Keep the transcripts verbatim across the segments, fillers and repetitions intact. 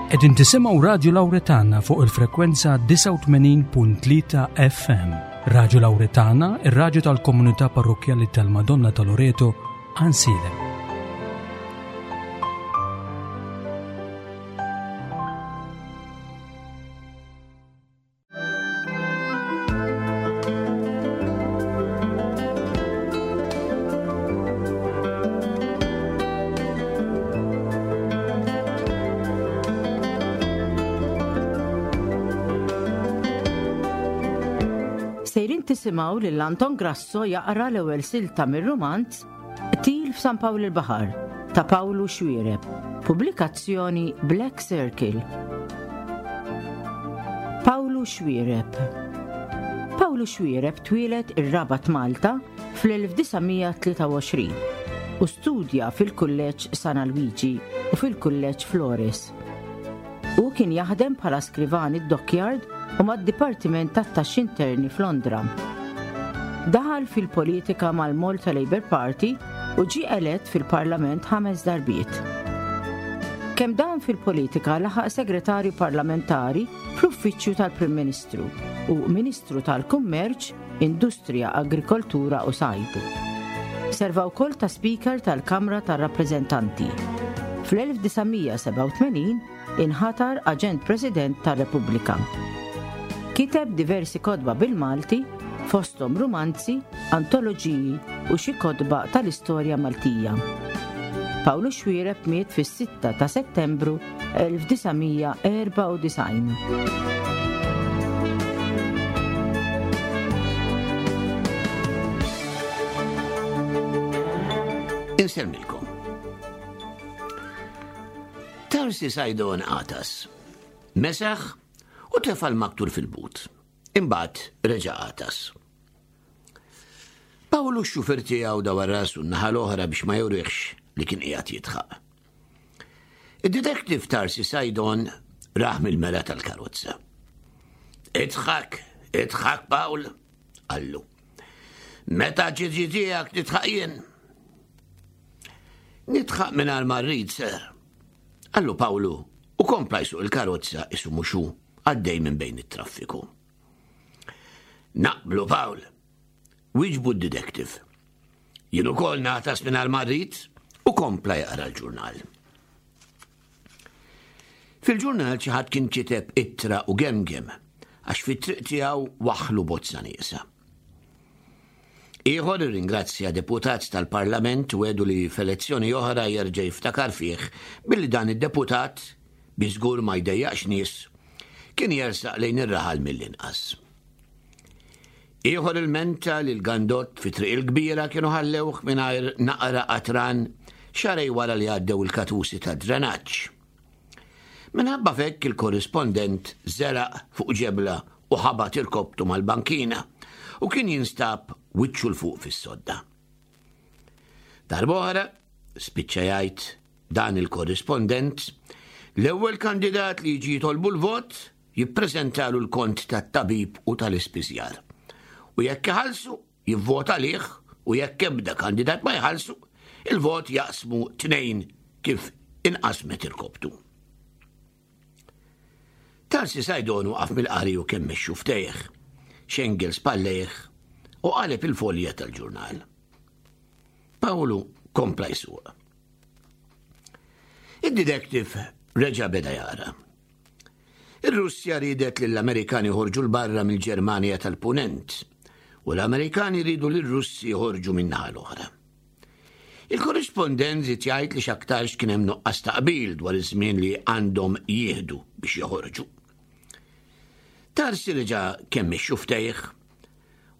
Qegħdin tisimgħu Radio Lauretana fuq il-frekwenza disgħa u tmenin punt tlieta F M. Radio Lauretana, ir-raġu tal-komunità parrokjali tal-Madonna ta' Loreto, Għajnsielem. Sejrin tisimgħu lil Anton Grasso jaqra l-ewwel silta mir-rumanz Qtil f'San Pawl il-Baħar ta' Pawlu Xuereb, pubblikazzjoni Black Circle. Pawlu Xuereb. Pawlu Xuereb twieled ir-Rabat, Malta, fl-elf disa' mija tlieta u għoxrin u studja fil-Kulleġġ San Alwiġi u fil-Kulleġġ Flores. U kien jaħdem bħala skrivan id-Dockyard u mad-Dipartiment tat-Taxxi Interni f'Londra. Daħal fil-politika mal-Malta Labour Party u ġie elett fil-Parlament ħames darbiet. Kemm dan fil-politika laħaq segretarju parlamentari fl-Uffiċċju tal-Prim Ministru u Ministru tal-Kummerċ, Industrija, Agrikoltura u Sajd. Serva wkoll ta' Speaker tal-Kamra tar-Rappreżentanti. Fl-elf disa' mija sebgħa u tmenin inħatar Aġent President tar-Repubblika. Kiteb diversi kotba bil-Malti, fosthom rumanzi, antoloġiji u xi kotba tal-istorja Maltija. Pawlu Xuereb miet fis-sitta ta' Settembru elf disa' mija erbgħa u disgħin. Insellmilkom. Tarsi Sajdon għatas, mesaħ u tefa l-maktur fil-but. Imbagħad reġa' għatas. Pawlu x-xufer tiegħu dawar rasu n-naħa l-oħra biex ma jurixx li kien qiegħed jidħaq. Id-detective Tarsi Sajdon rah mill-mera tal-karozza. "Idħak, idħak, Pawl," qallu. "Meta ġiġi tiegħek nidħaq jien." "Nidħaq mingħajr ma rrid, sir," qallu Pawlu u kompla jsuq il-karozza qisu mhux hu għaddej minn bejn it-traffiku. "Naqblu, Pawl," wieġbu d-detective. "Jien ukoll nagħtas mingħajr ma rrid," u kompla jaqra l-ġurnal. Fil-ġurnal xi ħadd kien kiteb ittra u gemgem għax fit-triq tiegħu waħlu bozza nieqsa. Ieħor irringrazzja deputat tal-Parlament u għedu li f'elezzjoni oħra jerġa' jiftakar fih billi dan id-deputat, bi żgur ma jdejjaqx nies, kien jersaq lejn ir-raħal mill-inqas. Ieħor ilmenta li l-gandot fi Triq il-Kbira kienu ħallewh mingħajr naqra qatran xahrejn wara li għaddew il-katusi ta' drenaġġ. Minħabba f'hekk il-korrispondent żelaq fuq ġebla u ħabat irkobtu mal-bankina u kien jinstab wiċċu 'l fuq fis-sodda. Darb'oħra, spiċċa jgħid dan il-korrispondent, l-ewwel kandidat li jiġi jitolbu l-vot jippreżentalu l-kont tat-tabib u tal-ispiżjar. U jekk iħallsu, jivvota lih, u jekk ebda kandidat ma jħallsu, il-vot jaqsmu tnejn kif inqasmet irkobtu. Tarsi Sajdon waqaf mill-qari u kemmex xufftejh, xengel spallejh u qaleb il-folja tal-ġurnal. Pawlu kompla jsuq. Id-detective reġa' beda jara. Ir-Russja ridet li l-Amerikani joħorġu 'l barra mill-Ġermanja tal-Punent u l-Amerikani ridu li r-Russi joħorġu min-naħa l-oħra. Il-korrispondent żied jgħid li x'aktarx kien hemm nuqqas ta' qbil dwar iż-żmien li għandhom jieħdu biex joħorġu. Tarsi reġa' kemmex xufftejh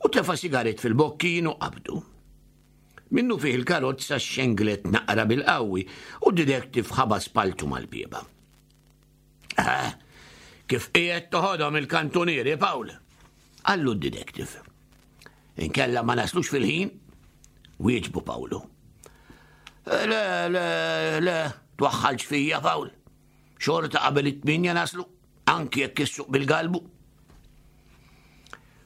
u tefa' sigaret fil-bokkin u qabdu. Minnu fih il-karozza xenglet naqra bil-qawwi u d-detective ħabat spalltu mal-bieba. "Ah, kif qiegħed toħodhom il-kantunieri, Pawl?" qallu d-detective. "Inkella ma naslux fil-ħin," wieġbu Pawlu. "Le, le, le, twaħħalx fija, Pawl. Xorta qabel it-tminja naslu, anki jekk issuq bil-galbu."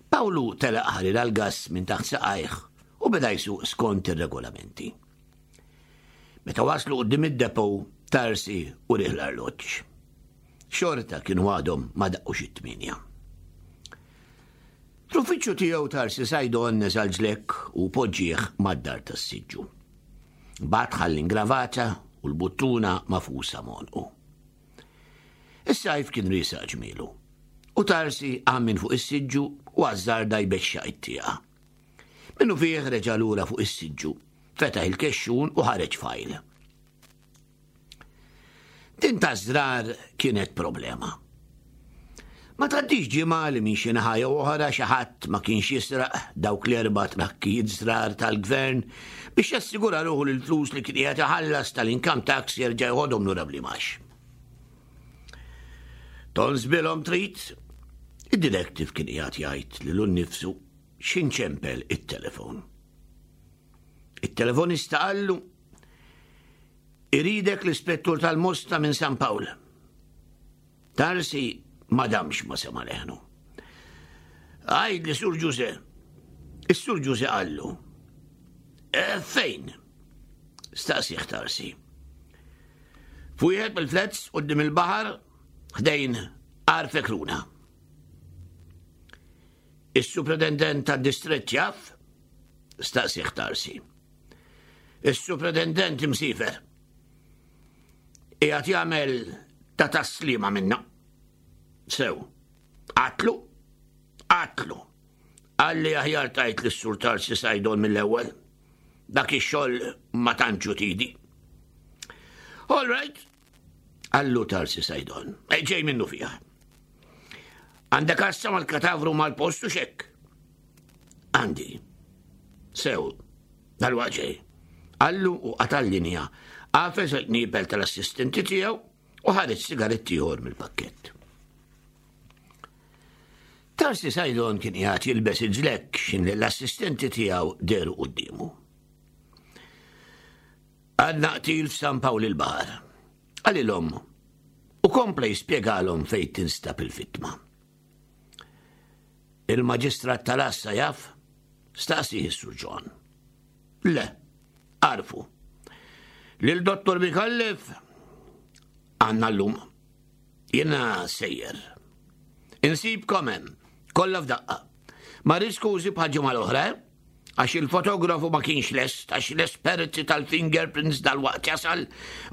Pawlu telaq ħalli l-gas minn taħt saqajh u beda jsuq skont ir-regolamenti. Meta waslu quddiem id-depot, Tarsi urieh l-arloġġ. Xorta kienu għadhom ma daqqux it-tmienja. Fl-uffiċċju tiegħu Tarsi Sajdon neża' l-ġlekk u poġġieh mad-dar tas-siġġu. Bagħad ħall l-ingravata u l-buttuna magħfusa m'għonqu. Is-sajf kien riesaq ġmielu u Tarsi qam minn fuq is-siġġu u ażżarda jbexxaq it-tieqa. Minnufih reġa' lura fuq is-siġġu, fetaħ il-kexxun u ħareġ fajl. Din taż-żrar kienet problema. Ma tgħaddix ġimgħa li minn xi naħa jew oħra xi ħadd ma kienx jisraq dawk l-erba' trakkijiet żrar tal-gvern biex jassigura ruħu li l-flus li kien qiegħed iħallas tal-income tax jerġa' jħodhom lura bl-imax. Tonsbilhom trid? Id-detective kien qiegħed jgħid lilu nnifsu x'ħin ċempel it-telefon. It-telefonista qallu iridek l-ispettur tal-Mosta minn San Pawl. Tarsi ma damx ma sema leħnu. Għajd li Sur Ġuże. Is-Sur Ġuże qallu. E, fejn? Staqsih Tarsi. F'wieħed mill-flats quddiem il-baħar ħdejn Għar Fekruna. Is-supretendent tad-distrett jaf? Staqsih Tarsi. Is-supretendent imsiefer. Qiegħed jagħmel ta' taslima minna. Sew, għatlu, għatlu. Għalli aħjar tajt lis-Sur Tarsi Sajdon mill-ewwel. Dak ix-xogħol ma tantxu tidi. All right, qallu Tarsi Sajdon. Ġej minnufih. Għandek għassa mal-katavru mal-postu xek? Għandi. Sew, dal-waqt ġej. Qallu u qata' l-linja. Għafes il-qniepel tal-assistenti tiegħu u ħareġ sigaretti ieħor mill-pakkett. Tarsi Sajdon kien qiegħed jilbes il-ġlekk x'ħin l-assistenti tiegħu dehru quddiemu. Għandna qtil f'San Pawl il-Baħar. Qalilhom u kompla jispjegalhom fejn tinstab il-vittma. Il-maġistrat tal-għassa jaf? Staqsieh is-Sur John. Le, għarrfu. Lil Dottor Micallef għandna llum. Jiena sejjer. Insibkom hemm, kollha f'daqqa. Ma skużi bħal ġimgħa l-oħra, eh? Għax il-fotografu ma kienx lest, għax l-esperti tal-fingerprints dal-waqt jasal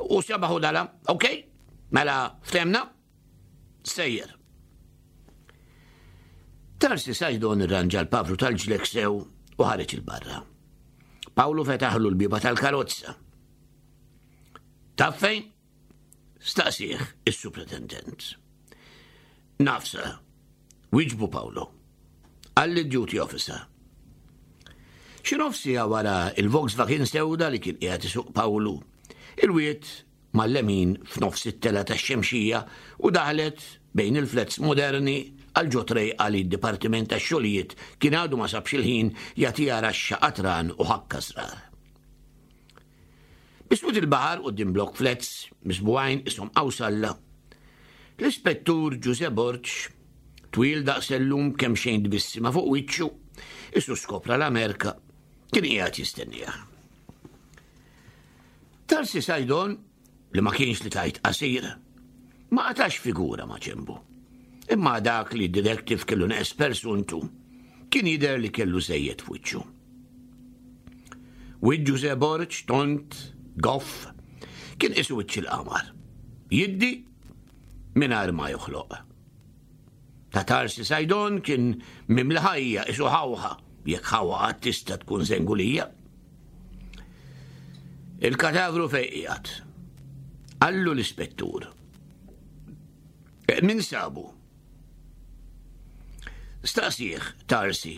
u sebaħu dala, ok? Mela, ftehemna? Sejjer. Tarsi Sajdon irranġa l-pavru tal-ġlekk sew u ħareġ 'il barra. Pawlu fetaħlu l-bieba tal-karozza. Taf fejn? Staqsieh is-supretendent. Naf, sir, wieġbu Pawlu. Qalli duty officer. Xi nofs siegħa wara il-Volkswagen sewda li kien qiegħed isuq Pawlu. Ilwiet mal-lemin f'nofs it-tela tax-Xemxija u daħlet bejn il-flats moderni għal ġo trejqa li d-Dipartiment tax-Xogħlijiet kien għadu ma sabx il-ħin jagħtiha raxxa qatran u ħakka żrar. Biswit il-baħar quddiem blok flats miżbugħin qishom qawsalla. L-ispettur Ġuże Borg, twil daqs sellum kemxejn tbissima fuq wiċċu, qisu skopra l-Amerika, kien qiegħed jistennieh. Tarsi Sajdon, li ma kienx li tajt qasir, ma qatax figura ma' ġenbu. Imma dak li d-detective kellu neqes persuntu, kien jidher li kellu żejjed f'wiċċu. Wiċċ Ġuże Borg, tond, goff, kien qisu wiċċ il-qamar. Jiddi mingħajr ma joħloq. Ta' Tarsi Sajdon kien mimli ħajja qisu ħawħa, jekk ħawħa qatt tista' tkun żengulija. Il-katavru fejn qiegħed. Qallu l-ispettur. Min sabu? Staqsieh Tarsi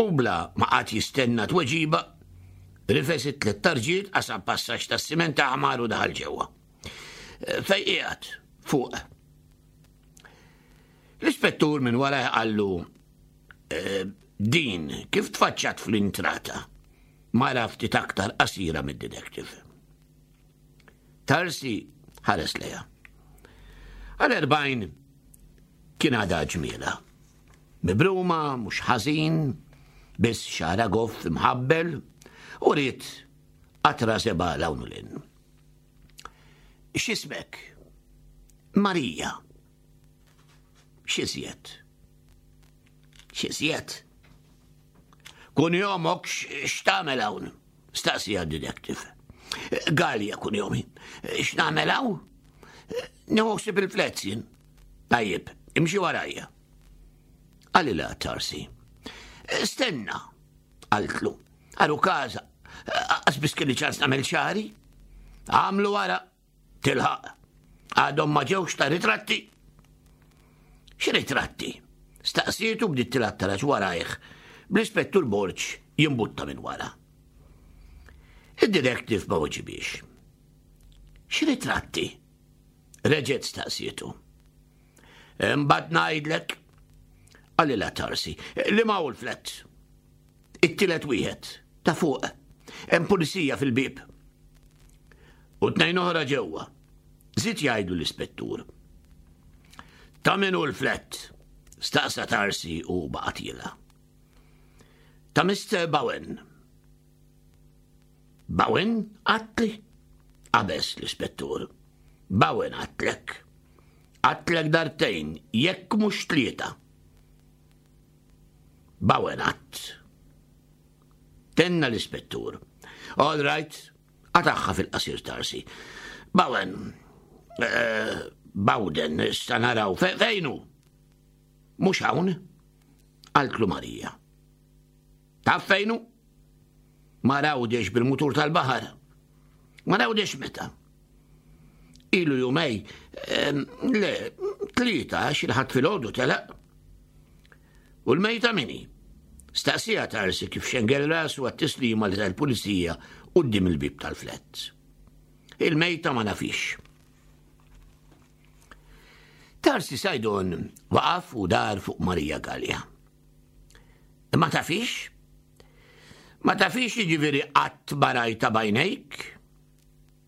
u bla ma qagħad jistenna tweġiba, rifes it-tliet tarġiet qasam passaġġ tas-siment aħmar u daħal ġewwa. Fejn qiegħed? Fuq. L-ispettur minn wara qallu eh, din kif tfaċċat fl-intrata mara ftit aktar qasira mid-detective. Tarsi ħares lejha. Għal erbgħin kien għadha ġmiela. Mibruma, mhux ħażin, biss xagħarha goff imħabbel u ried qatra żebgħa 'l hawn u 'l hinn. X'ismek? Marija. X'iżjed? X'iżjed? Kunjomok x'tagħmel hawn? Staqsieha d-detective. Galea kunjomi. X'nagħmel hawn? Nieħu ħsieb il-flats jien. Tajjeb, imxi warajja. Qalilha Tarsi. Stenna, qaltlu. Għarukaża, lanqas biss kelli ċans nagħmel xagħri. Agħmlu wara, tilħaq. Għadhom ma ġewx ta' ritratti. X'ritratti? Staqsietu bdiet tilgħab taraġ warajh, bl-ispettur Borg jimbutta minn wara. Id-detective ma weġibhiex. X'ritratti? Reġgħet staqsietu. Imbagħad ngħidlek, qalilha Tarsi, liema hu l-flat. It-tielet wieħed, ta' fuq, hemm pulizija fil-bib. U tnejn oħra ġewwa. Żied jgħidlu l-ispettur. Ta' min hu l-flat? Staqsa Tarsi u baqa' tiela'. Ta' Mister Bowen. Bowen għedtli? Qabeż l-ispettur. Bowen għedtlek. Għedtlek darbtejn, jekk mhux tlieta. Bowen għedt. Tenna l-ispettur. All right, qatagħha fil-qasir Tarsi. Bowen, eh, Bawden, sta naraw, fejn hu? Mhux hawn, qaltlu Marija. Taf fejn hu? Mar Għawdex bil-mutur tal-baħar. Mar Għawdex meta? Ilu jumejn, le, tlieta, xi filgħodu telaq. U l-mejta min hi? Staqsieha Tarsi kif xengel rasu għat-tislima li tal-pulizija quddiem il-bib tal-flat. Il-mejta ma nafhiex. Tarsi Saydon waqaf u dar fuq Marija Galea. Ma tafhiex? Ma tafhiex, jiġifieri qatt ma rajtha b'għajnejk?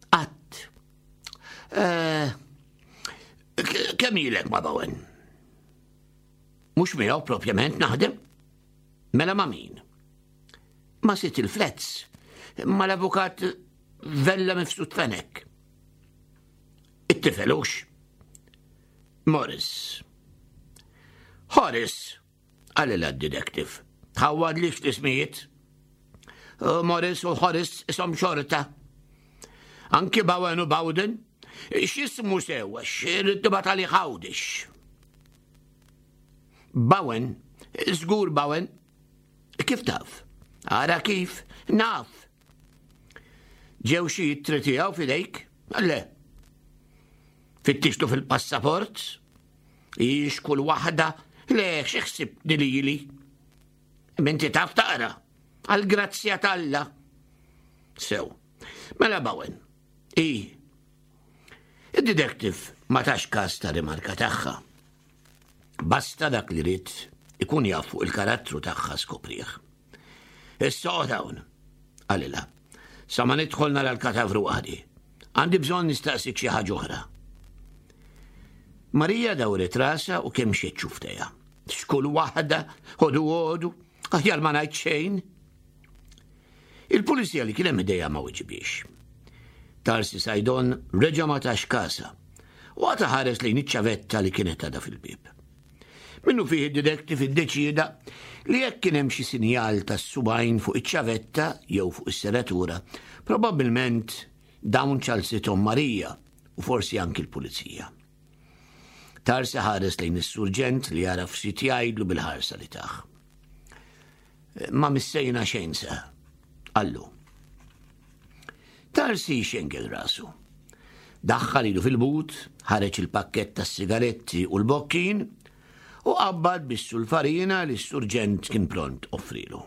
Qatt. Eh, kemm ilek ma' Bowen? Mhux miegħu propjament naħdem? Mela ma' min? Ma' sid il-flats, ma' l-avukat Vella Mifsud Fenek. It-tifel hux? Morris. Horace, qalilha d-detective. Tħawwadlix l-ismijiet. Morris u Horace isom xorta. Anki Bowen u Bowden, x'jismu sewa, x'irrid tali Għawdex. Bowen, żgur Bowen, kif taf? Ara kif, naf. Ġew xi ittri tiegħu f'idejk? Le. Fittixtu fil-passaport? Ix kull waħda? Le, xi ħsibt lili? Inti taf taqra. Għal-grazzja t'Alla. Sew. Mela Bowen. I. Il-detective ma tax kas ta' rimarka tagħha. Basta dak li ried ikun jaf fuq il-karattru tagħha skoprieh. Issa hawn, qalilha. Sa ma nidħol nara l-katavru għadi. Għandi bżonn nistaqsik xi ħaġa oħra. Marija dawret rasha u kemmxet xufftejha. X'kull waħda, ħodu ħodu, aħjar ma ngħid xejn. Il-pulizija li kien hemm ħdejha ma weġibhiex. Tarsi Saydon reġa' ma tax kasha u qagħad iħares lejn iċ-ċavetta li kienet għadha fil-bib. Minnufih id-detective iddeċida li jekk kien hemm xi sinjal tas-subgħajn fuq iċ-ċavetta jew fuq is-serratura, probabbilment dawn ċallsithom Marija u forsi anki l-pulizija. Tarsi ħares lejn is-surġent li għaraf x'ried jgħidlu bil-ħarsa li tah. Ma missejna xejn, sir, qallu. Tarsi xengel rasu. Daħħal idu fil-but, ħareġ il-pakket tas-sigaretti u l-bokkin u qabbad bis-sulfarina li s-surġent kien pront offrilu.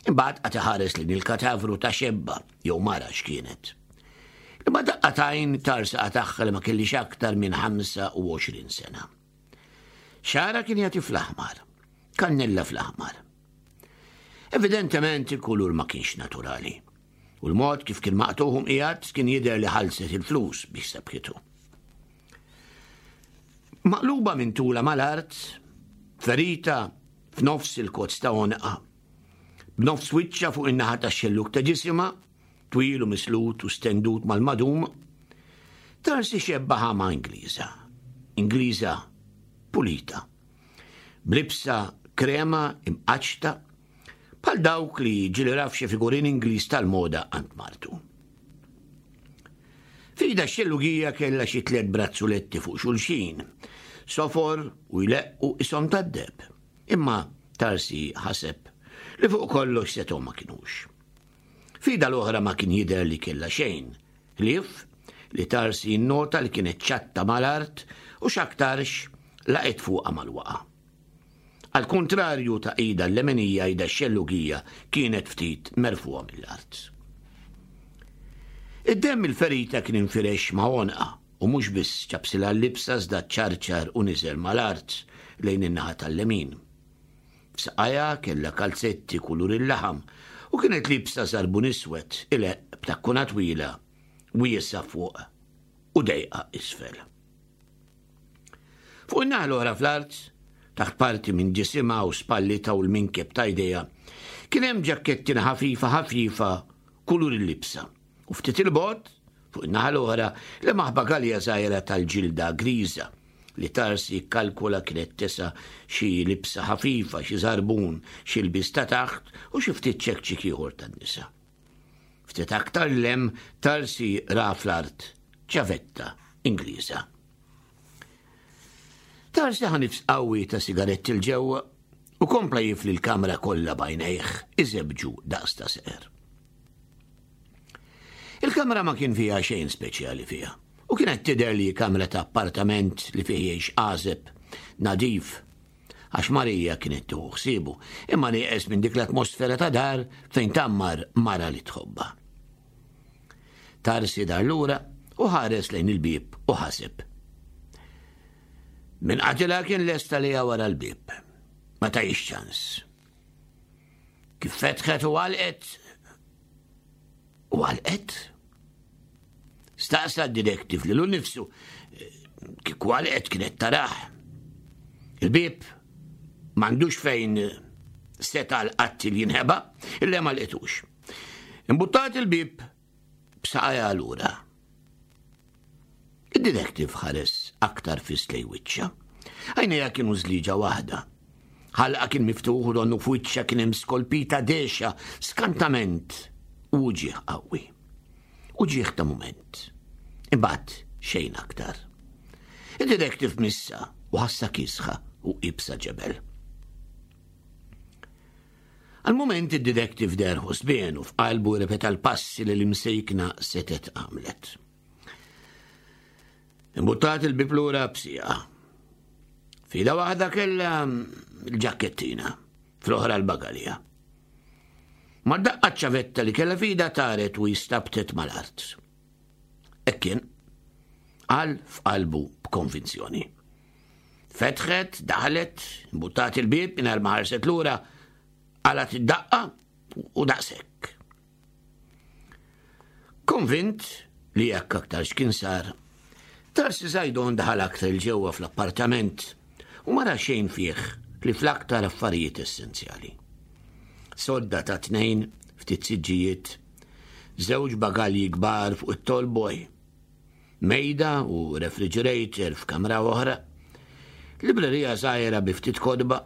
Imbagħad qagħad iħares lejn il-katavru ta' xebba jew mara x'kienet. Imma daqqa t'għajn Tarsi qatagħha li ma kellhiex aktar minn ħamsa u għoxrin sena. Xagħarha kien jagħti fl-aħmar, kannella fl-aħmar. Evidentement il-kulur ma kienx naturali. U l-mod kif kien maqtugħ qiegħed kien jidher li ħallset il-flus biex sebħitu. Maqluba minn tula mal-art, ferita f'nofs il-kozz ta' għonqha, b'nofs wiċċha fuq in-naħa ta' xelluk ta' ġisimha, twil u mislut u stendut mal-madum, Tarsi xebbaha ma' Ingliża. Ingliża pulita. B'libsa krema imqaċta bħal dawk li ġieli ra f'xi figurin Ingliż tal-moda għand martu. F'idha x-xellugija kellha xi tliet brazzuletti fuq xulxin, sofor u jleqqu qishom tad-deheb. Imma Tarsi ħaseb li fuq kollox setgħu ma kinux. F'idha l-oħra ma kien jidher li kellha xejn, ħlief li Tarsi nnota li kienet ċatta mal-art u x'aktarx laqgħet fuqha mal-waqa. Al kontrarju ta' idha l-lemenija idha x-xellugija kienet ftit merfuha mill-art. Id-demm il-ferita kien infirex ma' għonqa u mhux biss ċapsilha l-libsa iżda ċarċar u niżel mal-art lejn in-naħa tal-lemin. F'saqajha kellha kalzetti kulur il-laħam u kienet libsa żarbun iswed ileqq b'takkuna twila wiesgħa fuq u dejqa isfel. Fuq in-naħa l-oħra fl-art, taħt parti minn ġisimha u spallitha u l-minkeb ta' jdejha, kien hemm ġakkettina ħafifa ħafifa kulur il-libsa. U ftit il-bogħod, fuq in-naħa l-oħra, lemaħ bagalja żgħira tal-ġilda griża li Tarsi kkalkula kienet tesa' xi libsa ħafifa, xi żarbun, xi lbies ta' taħt u xi ftit ċekċik ieħor tan-nisa. Ftit aktar 'l hemm Tarsi ra fl-art ċavetta Ingliża. Tarsi ħa nifs qawwi ta' sigaretti 'l ġewwa u kompla jifli l-kamra kollha b'għajnejh iżebġu daqs ta' seqer. Il-kamra ma kien fiha xejn speċjali fiha u kienet tidher li kamra ta' appartament li fih jgħix għażeb nadif għax Marija kienet tieħu ħsiebu imma nieqes minn dik l-atmosfera ta' dar fejn tgħammar mara li tħobbha. Tarsi dar lura u ħares lejn il-bieb u ħaseb. Min qatilha kien lesta li wara l-bieb. Ma tajx ċans. Kif fetħet u għalqet u għalqet. Staqsa d-detective lilu nnifsu kieku għalqet kienet tarah. Il-bieb m'għandux fejn seta' l-qattiel jinħeba, illa ma lqitux. Imbuttat il-bieb b'saqajha lura. Id-detective ħares aktar fiss lejn wiċċha. Għajnejha kienu żliġa waħda. Ħalqha kien miftuħ u donnu f'wiċċha kien hemm skolpita dehxa, skantament u uġigħ qawwi. Uġigħ ta' mument. Imbagħad xejn aktar. Id-detective missha u ħassa kiesħa u iebsa ġebel. Għal-moment id-detective deher ħosbien u f'qalbu ripeta l-passi li l-imsejkna setgħet għamlet. Imbuttat il-bieb lura b'sieqha. F'idha waħda kellha l-ġakkettina, fl-oħra l-bagalja. Ma daqqa ċavetta li kellha f'idha taret u jistabtet mal-art. Hekk kien, qal f'qalbu b'konvinzjoni. Fetħet, daħlet, imbuttat il-bieb, mingħajr ma ħarset lura, qalgħet id-daqqa u daqshekk. Konvint li jekk aktar x'kien sar, Tarsi Zajdon daħal aktar 'il ġewwa fl-appartament u ma ra xejn fih li fl-aktar affarijiet essenzjali. Sodda ta' tnejn, ftit siġġijiet, żewġ bagalji kbar fuq it-tallboy, mejda u refrigerator f'kamra oħra, librerija żgħira bi ftit kotba,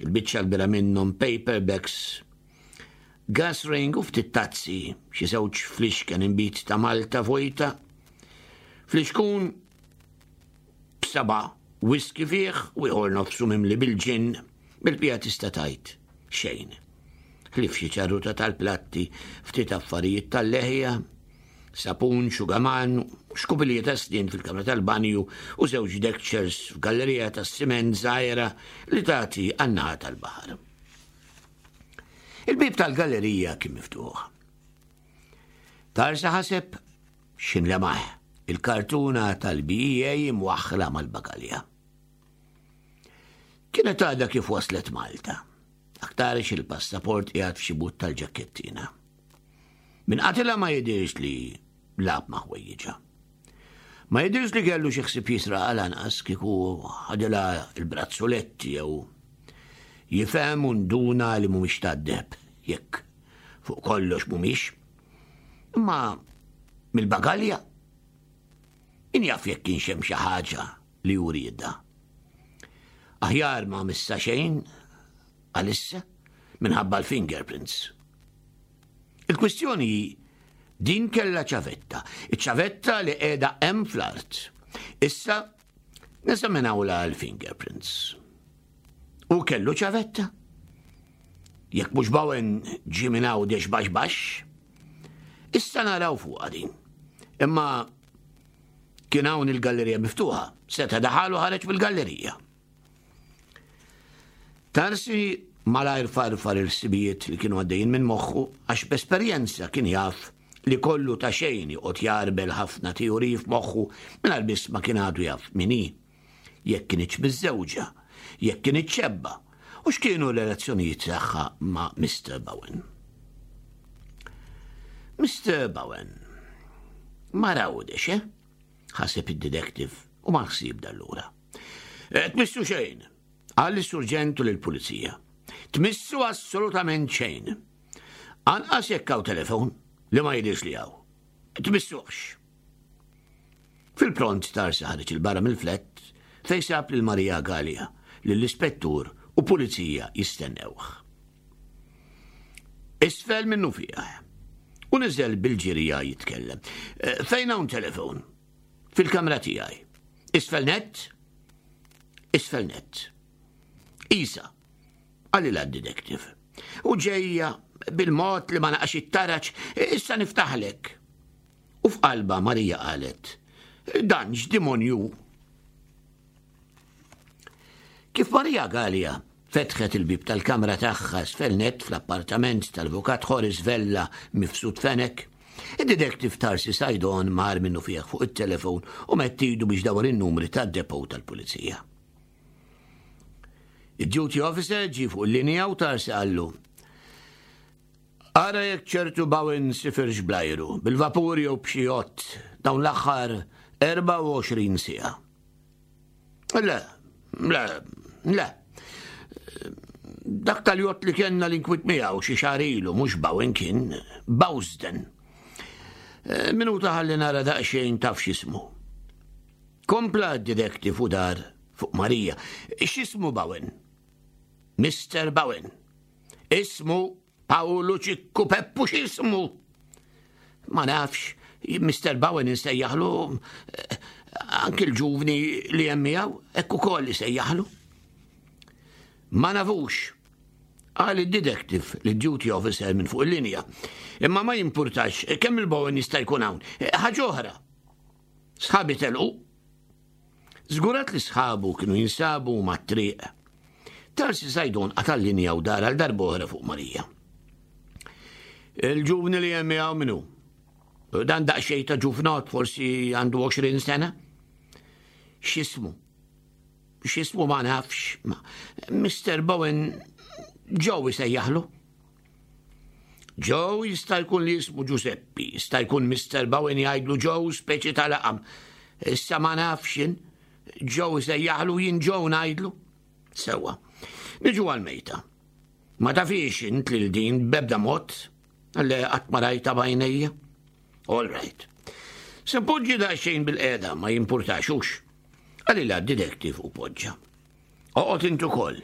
il-biċċa kbira minnhom paperbacks, gas ring u ftit tazzi, xi żewġ flixken inbid ta' Malta vojta, flixkun b'seba' whisky fih u ieħor nofsu mimli bil-ġin, bil-pija tista' tgħid xejn. Ħlief xi ċarruta tal-platti, ftit affarijiet tal-leħja, sapun, xugaman, xkupilji ta' snien fil-kamra tal-banju u żewġ deckchairs f'gallerija tas-siment żgħira li tagħti għan-naħa tal-baħar. Il-bieb tal-gallerija kien miftuħ. Tarsa ħaseb x'ħin lemaħ il-kartuna tal-B E A imwaħħla mal-bagalja. Kienet għadha kif waslet Malta. Aktarx il-passaport qiegħed f'xi but tal-ġakkettina. Min qatilha ma jidirx li lagħab ma' ħwejjiġha. Ma jidirx li kellu xi ħsieb jisraq lanqas kieku ħadilha il-brazzuletti jew jifhem u nduna li mhumiex tad-deheb jekk fuq kollox mhumiex. Imma mill-bagalja min jaf jekk kienx hemm xi ħaġa li jridha. Aħjar ma missa xejn għalissa minħabba l-fingerprints. Il-kwistjoni din kella ċavetta, iċ-ċavetta li qiegħda hemm fl-art. Issa neżaminawla l-fingerprints. U kellu ċavetta. Jekk mhux Bowen ġie minn Għawdex baxx baxx, issa naraw fuqha din. Imma kien hawn il-gallerija miftuħa, seta' daħal u ħareġ mill-gallerija. Tarsi malajr farfar il-ħsibijiet li kienu għaddejjin minn moħħu għax b'esperjenza kien jaf li kollu ta' xejn joqgħod jarbel ħafna teoriji f'moħħu mingħajr biss ma kien għadu jaf min hi, jekk kinitx miżżewġa, jekk kinitx xebba, u x'kienu l-relazzjonijiet tagħha ma' Mister Bowen. Mister Bowen, ma rawdex, eh? Ħaseb id-detective u ma ħsib dallura. Eh, tmissu xejn, qal lis-surġent u lill-pulizija. Tmissu assolutament xejn. Anqas jekk hawn telefon li ma jidhirx li hawn. Tmissuhx. Fil-pront Tarsi ħareġ il-barra mill-flett fejn sab lil Maria Galea, lill-ispettur u pulizija jistennewh. Isfel minnu fih. U niżel bil-ġirija jitkellem. Eh, fejn hawn telefon? Fil-kamra tiegħi. Isfel net? Isfel net. Isa, qalilha d-detective. U ġejja bil-mod li ma naqax it-taraċ, issa niftaħlek. U f'qalba Marija qalet, dan x'dimonju. Kif Marija Galea fetħet il-bib tal-kamra tagħha isfel net fl-appartament tal-avukat Horace Vella Mifsud Fenech, id-detective Tarsi Saydon mar minnu fih fuq it-telefon u mettidu biex dawar in-numri tad-depot tal-pulizija. Id-duty officer ġie fuq il-linja u Tarsi qallu, ara jekk ċertu Bowen sifirx blajru, bil-vapur jew b'xi jott dawn l-aħħar erbgħa u għoxrin siegħa. Le, le, le. Dak tal-jott li kellna l-inkwit miegħu xi xahar ilu mhux Bowen kien, Bowsden. Minuta ħalli nara daqsxejn taf x'ismu. Kompla d-detective u dar fuq Marija. X'ismu Bowen? Mister Bowen. Ismu Paolo Ċikku Peppu x'ismu? Ma nafx, Mister Bowen insejjaħlu, eh, anki l-ġuvni li hemm miegħu, hekk ukoll isejjaħlu. Ma nafux, qal id-detective li duty officer minn fuq il-linja. Imma ma jimpurtax kemm il-Bowen jista' jkun hawn. Ħaġa oħra. Sħabi telqu. Żgurat li sħabu kienu jinsabu mat-triq. Tarsi Saydon qata' l-linja u dar għal darb'oħra fuq Marija. Il-ġuvni li hemm miegħu minnu? Dan daqsxejn ta' ġuvnot, forsi għandu għoxrin sena. X'ismu? X'ismu ma nafx. Ma-, Mister Bowen Joe jsejjaħlu. Joe jista' jkun li jismu Giuseppe, jista' jkun Mister Bowen jgħidlu Joe speċi ta' laqam. Issa ma nafx jien. Joe jsejjaħlu, jien Joe ngħidlu. Sewa. Niġu għal-mejta. Ma tafix int lil din b'ebda mod li qatt ma rajta b'għajnejja. All right. Se poġġi daqsxejn bil-qeda ma jimpurtaxux. Qalilha d-detective u poġġa. Oqgħod int ukoll.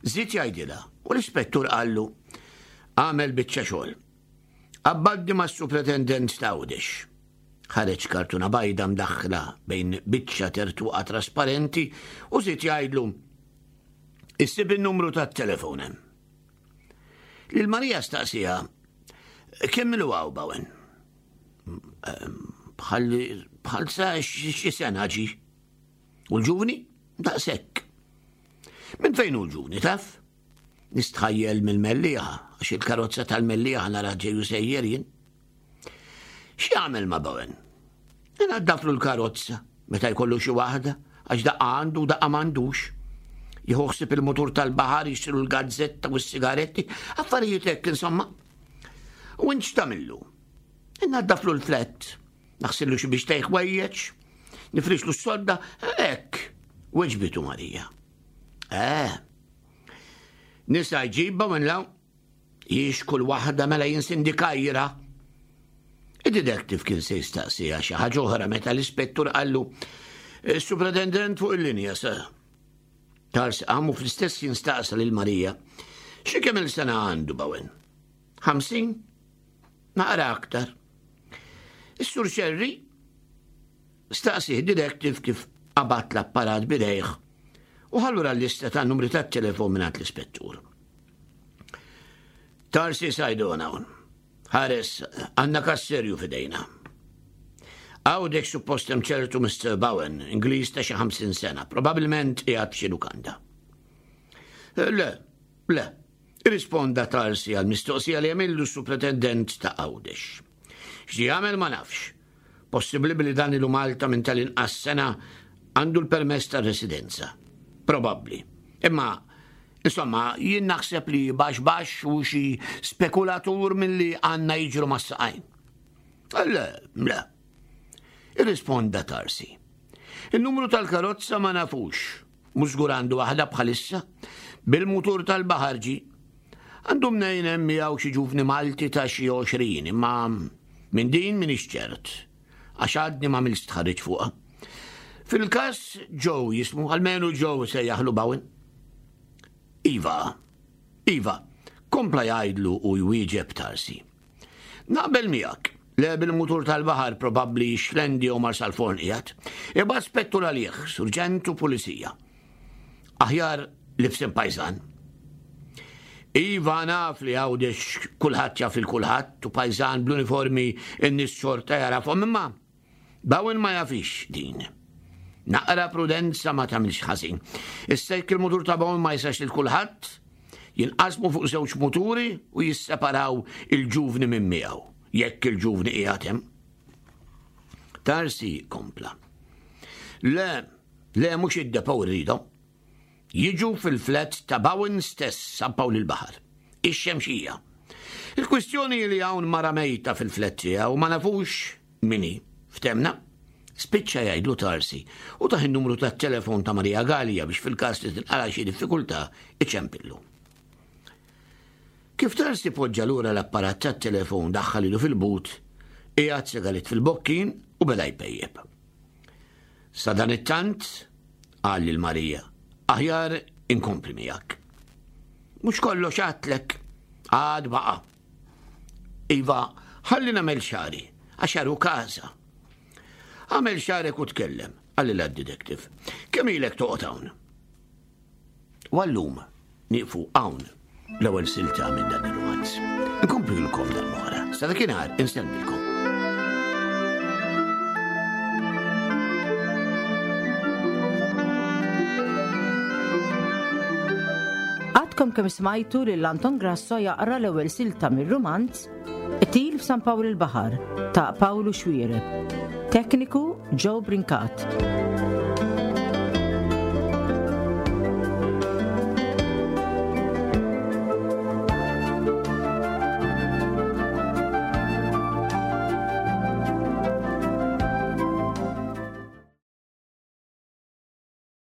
Żied jgħidilha u l-ispettur qallu għamel biċċa xogħol. Abbaddi mas-supretendent ta' Għawdex. Ħareġ kartuna bajda mdaħħla bejn biċċa tertuqa trasparenti u żied jgħidlu issib in-numru tat-telefon hemm. Lil Marija staqsija kemm ilu hawn Bowen? Bħal, bħal sa xi sena ġi. U l-ġuvni? Daqshekk. Minn fejn hu l-ġuvni, taf? Nistħajjel mill-Mellieħa, għax il-karozza tal-Mellieħa nara ġeju sejjer jien. X'jagħmel ma' Bowen? Inaddaflu l-karozza meta jkollu xi waħda, għax daqqa għandu u daqqa m'għandux. Jieħu ħsieb il-mutur tal-baħar, jixtru l-gazzetta u s-sigaretti, affarijiet hekk insomma. U int x'tagħmillu? Inaddaflu l-flett, naħsillu xi biex tejħ wejjeġ, nifrixlu s-sodda, hekk, weġbitu Marija. Eh, nisa jġibba minn law, jiex kull waħda mela jinsindikajra. Id-detective kien se jistaqsija xi ħaġa oħra meta l-ispettur qallu, Is-supretendent fuq il-linja, sa. Tarsi qam u fl-istess ħin staqsa lil Marija. Xi kemm il-sena għandu Bowen? Ħamsin? Naqra aktar. Is-Sur Xerri staqsieh detective kif qabad l-apparat b'idejh u ħallura l-lista ta' numri ta' telefon minn l-ispettur. Tarsi Sajdona hawn. Ħares, għandna kas serju f'idejna. Għawdek suppost hemm ċertu Mister Bowen, Ingliż ta' xi ħamsin sena, probabbilment qiegħed f'xi lukanda. Le, le, irrisponda Tarsi għal mistoqsija li għamillu supretendent ta' Għawdex. X'ġie jagħmel ma nafx. Possibbli li dan ilu Malta minn tal-inqas sena, għandu l-permess ta' residenza. Probabbli. Imma, insomma, jien naħseb li baxx baxx u xi spekulatur milli għandna jiġru mas-saqajn. Le, le. Irrisponda Tarsi. Il-numru tal-karozza ma nafux. Mhux żgur għandu waħda bħalissa. Bil-mutur tal-baħar ġie. Għandu mnejn hemm miegħu xi ġuvni Malti ta' xi għoxrin, imma minn din m'iniex ċert. Għax għadni ma għamilx stħarriġ fuqha. Fil-każ Joe jismu, almenu Joe se jaħlu Bowen. Iva, iva, kompla jgħidlu u jwieġeb Tarsi. Naqbel miegħek, le bil-mutur tal-baħar probabbli Xlendi u Marsalforn qiegħed. Ibgħat spettur għalih, surġent u pulizija. Aħjar libsin pajżan. Iva naf li Għawdex kulħadd jaf il kulħadd u pajżan bl-uniformi n-nies xorta jarafhom, imma Bowen ma jafix din. Naqra prudenza ma tagħmilx ħażin. Issa jekk il-mutur ta' Bowen ma jisax lil kulħadd, jinqasmu fuq żewġ muturi u jisseparaw il-ġuvni minn miegħu, jekk il-ġuvni qiegħed hemm. Tarsi kompla. Le, le mhux id-depow rridu. Jiġu fil-flat ta' Bowen stess San Pawl il-Baħar. Ix-Xemxija. Il-kwistjoni li hawn mara mejta fil-flat tiegħu ma nafux min hi. Ftemna? Spiċċa jgħidlu Tarsi u tah in-numru tat-telefon ta' Maria Gallia biex fil-każ li tinqala xi diffikultà iċempillu. Kif Tarsi poġġa lura l-apparat tat-telefon daħħal ilu fil-but, qiegħed sigaret fil-bokkin u beda jpejjeb. Sa dan it-tant, qal lil Marija, aħjar inkompli miegħek. Mhux kollox għadtlek, għad baqa'. Iva, ħalli nagħmel xagħri, għax hu każa. Għamel xagħrek u tkellem, qalilha d-detective. Kemm ilek toqgħod hawn? U għallum nieqfu hawn l-ewwel silta minn dan ir-romanz. Nkomplilkom dan wara. Sa dakinhar insellmilkom. Għadkom kemm smajtu lil Anton Grasso jaqra l-ewwel silta mir-romanz Qtil f'San Pawl il-Baħar ta' Pawlu Xuereb. Tekniku Joe Brincat.